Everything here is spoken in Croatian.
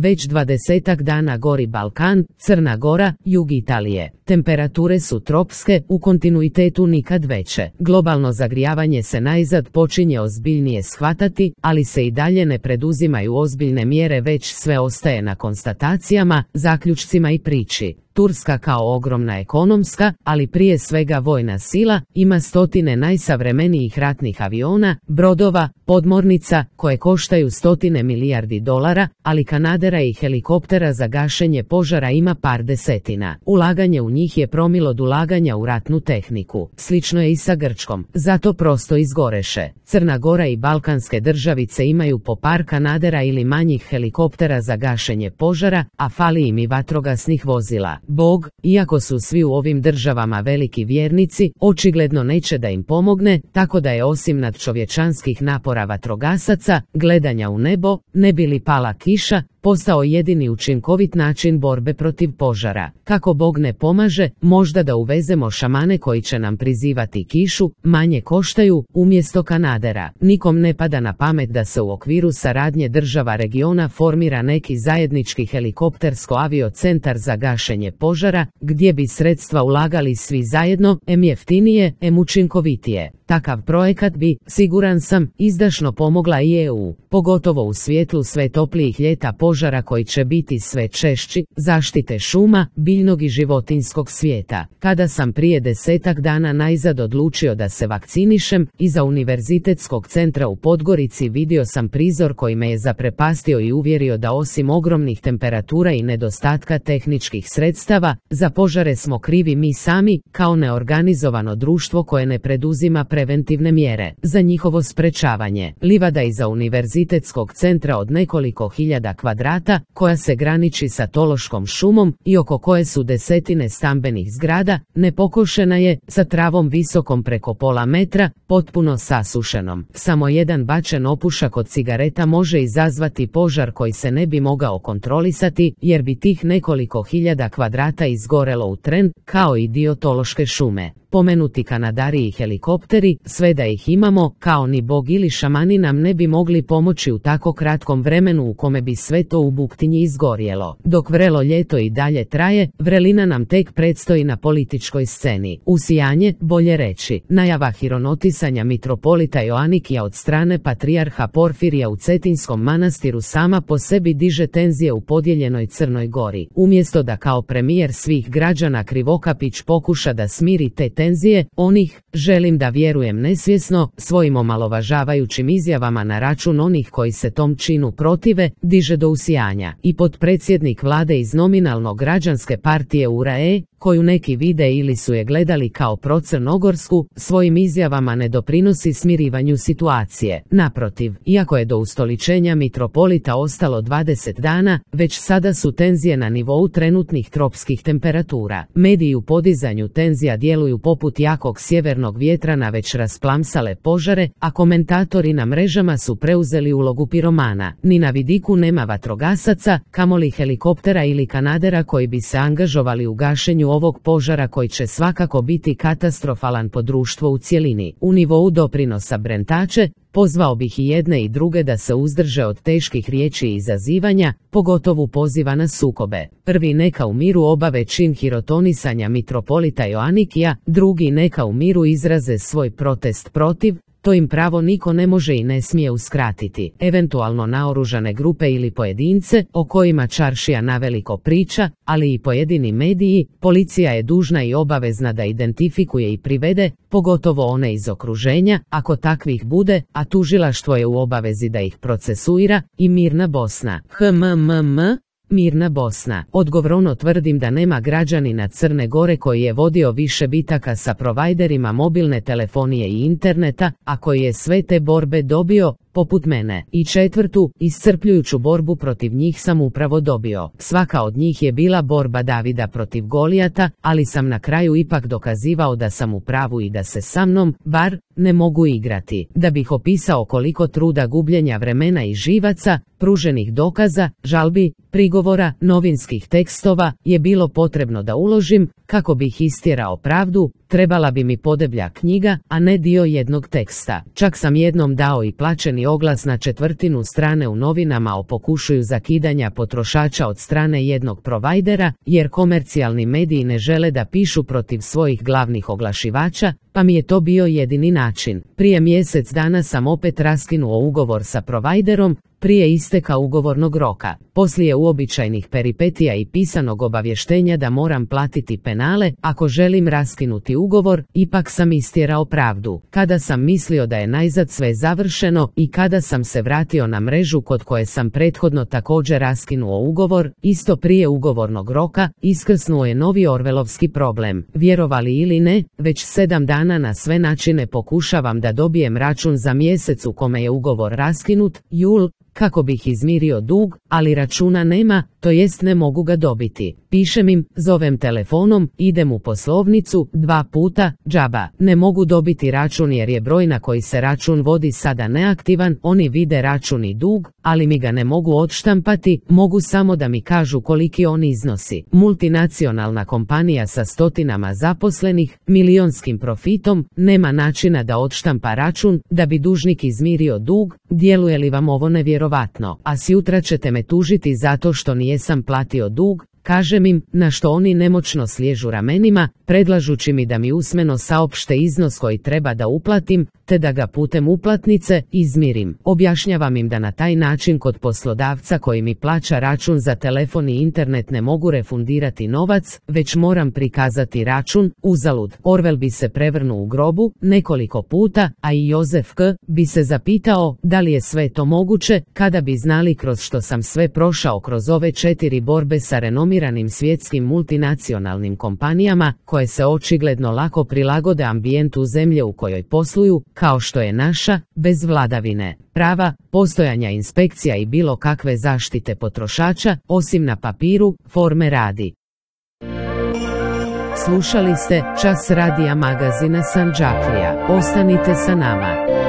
već 20-ak dana gori Balkan, Crna Gora, jug Italije. Temperature su tropske, u kontinuitetu nikad veće. Globalno zagrijavanje se najzad počinje ozbiljnije shvatati, ali se i dalje ne preduzimaju ozbiljne mjere, već sve ostaje na konstatacijama, zaključcima i priči. Turska kao ogromna ekonomska, ali prije svega vojna sila, ima stotine najsavremenijih ratnih aviona, brodova, podmornica, koje koštaju stotine milijardi dolara, ali kanadera i helikoptera za gašenje požara ima par desetina. Ulaganje u njih je promil od ulaganja u ratnu tehniku. Slično je i sa Grčkom, zato prosto izgoreše. Crna Gora i balkanske državice imaju po par kanadera ili manjih helikoptera za gašenje požara, a fali im i vatrogasnih vozila. Bog, iako su svi u ovim državama veliki vjernici, očigledno neće da im pomogne, tako da je osim nadčovječanskih napora vatrogasaca, gledanja u nebo, ne bi li pala kiša, postao jedini učinkovit način borbe protiv požara. Kako Bog ne pomaže, možda da uvezemo šamane koji će nam prizivati kišu, manje koštaju, umjesto kanadera. Nikom ne pada na pamet da se u okviru saradnje država regiona formira neki zajednički helikoptersko-avio centar za gašenje požara, gdje bi sredstva ulagali svi zajedno, em jeftinije, em učinkovitije. Takav projekat bi, siguran sam, izdašno pomogla i EU, pogotovo u svjetlu sve toplijih ljeta požara koji će biti sve češći, zaštite šuma, biljnog i životinjskog svijeta. Kada sam prije 10-ak dana najzad odlučio da se vakcinišem, iza Univerzitetskog centra u Podgorici vidio sam prizor koji me je zaprepastio i uvjerio da osim ogromnih temperatura i nedostatka tehničkih sredstava, za požare smo krivi mi sami, kao neorganizovano društvo koje ne preduzima preventivne mjere za njihovo sprečavanje. Livada iza Univerzitetskog centra od nekoliko hiljada kvadrata, koja se graniči sa Tološkom šumom i oko koje su desetine stambenih zgrada, nepokošena je, sa travom visokom preko pola metra, potpuno sasušenom. Samo jedan bačen opušak od cigareta može izazvati požar koji se ne bi mogao kontrolisati, jer bi tih nekoliko hiljada kvadrata izgorelo u tren, kao i dio Tološke šume. Pomenuti kanadari i helikopteri, sve da ih imamo, kao ni Bog ili šamani nam ne bi mogli pomoći u tako kratkom vremenu u kome bi sve to u buktinji izgorjelo. Dok vrelo ljeto i dalje traje, vrelina nam tek predstoji na političkoj sceni. Usijanje, bolje reći, najava hironotisanja mitropolita Joanikija od strane patrijarha Porfirija u Cetinskom manastiru sama po sebi diže tenzije u podijeljenoj Crnoj Gori. Umjesto da kao premijer svih građana Krivokapić pokuša da smiri te tenzije, onih, želim da vjerujem nesvjesno, svojim omalovažavajućim izjavama na račun onih koji se tom činu protive, diže do usijanja. I potpredsjednik vlade iz nominalno građanske partije URAE, koju neki vide ili su je gledali kao procrnogorsku, svojim izjavama ne doprinosi smirivanju situacije. Naprotiv, iako je do ustoličenja mitropolita ostalo 20 dana, već sada su tenzije na nivou trenutnih tropskih temperatura. Mediji u podizanju tenzija djeluju poput jakog sjevernog vjetra na već rasplamsale požare, a komentatori na mrežama su preuzeli ulogu piromana. Ni na vidiku nema vatrogasaca, kamoli helikoptera ili kanadera koji bi se angažovali u gašenju ovog požara koji će svakako biti katastrofalan po društvo u cjelini. U nivou doprinosa Brentače, pozvao bih i jedne i druge da se uzdrže od teških riječi i izazivanja, pogotovo poziva na sukobe. Prvi neka u miru obave čin hirotonisanja mitropolita Joanikija, drugi neka u miru izraze svoj protest protiv, to im pravo niko ne može i ne smije uskratiti. Eventualno naoružane grupe ili pojedince, o kojima čaršija naveliko priča, ali i pojedini mediji, policija je dužna i obavezna da identifikuje i privede, pogotovo one iz okruženja, ako takvih bude, a tužilaštvo je u obavezi da ih procesuira, i mirna Bosna. Mirna Bosna. Odgovorno tvrdim da nema građanina Crne Gore koji je vodio više bitaka sa provajderima mobilne telefonije i interneta, a koji je sve te borbe dobio, poput mene. I četvrtu, iscrpljujuću borbu protiv njih sam upravo dobio. Svaka od njih je bila borba Davida protiv Golijata, ali sam na kraju ipak dokazivao da sam u pravu i da se sa mnom, bar, ne mogu igrati. Da bih opisao koliko truda, gubljenja vremena i živaca, pruženih dokaza, žalbi, prigovora, novinskih tekstova, je bilo potrebno da uložim, kako bih istjerao pravdu, trebala bi mi podeblja knjiga, a ne dio jednog teksta. Čak sam jednom dao i plaćeni oglas na 1/4 strane u novinama o pokušaju zakidanja potrošača od strane jednog provajdera, jer komercijalni mediji ne žele da pišu protiv svojih glavnih oglašivača, pa mi je to bio jedini način. Prije mjesec dana sam opet raskinuo ugovor sa provajderom, prije isteka ugovornog roka. Poslije uobičajenih peripetija i pisanog obavještenja da moram platiti penale ako želim raskinuti ugovor, ipak sam istjerao pravdu. Kada sam mislio da je najzad sve završeno i kada sam se vratio na mrežu kod koje sam prethodno također raskinuo ugovor, isto prije ugovornog roka, iskrsnuo je novi orvelovski problem. Vjerovali ili ne, već 7 dana na sve načine pokušavam da dobijem račun za mjesec u kome je ugovor raskinut, jul, kako bih izmirio dug, ali računa nema, to jest ne mogu ga dobiti. Pišem im, zovem telefonom, idem u poslovnicu, 2 puta, džaba. Ne mogu dobiti račun jer je broj na koji se račun vodi sada neaktivan, oni vide račun i dug, ali mi ga ne mogu odštampati, mogu samo da mi kažu koliki on iznosi. Multinacionalna kompanija sa stotinama zaposlenih, milionskim profitom, nema načina da odštampa račun, da bi dužnik izmirio dug. Djeluje li vam ovo nevjerovatno? A sjutra ćete me tužiti zato što nijesam platio dug, kažem im, na što oni nemoćno sliježu ramenima, predlažući mi da mi usmeno saopšte iznos koji treba da uplatim, te da ga putem uplatnice izmirim. Objašnjavam im da na taj način kod poslodavca koji mi plaća račun za telefon i internet ne mogu refundirati novac, već moram prikazati račun, uzalud. Orvel bi se prevrnuo u grobu nekoliko puta, a i Jozef K. bi se zapitao da li je sve to moguće, kada bi znali kroz što sam sve prošao kroz ove 4 borbe sa renomiranim svjetskim multinacionalnim kompanijama, koje se očigledno lako prilagode ambijentu zemlje u kojoj posluju, kao što je naša, bez vladavine prava, postojanja inspekcija i bilo kakve zaštite potrošača, osim na papiru, forme radi. Slušali ste Čas radija magazina Sandžaklija. Ostanite sa nama.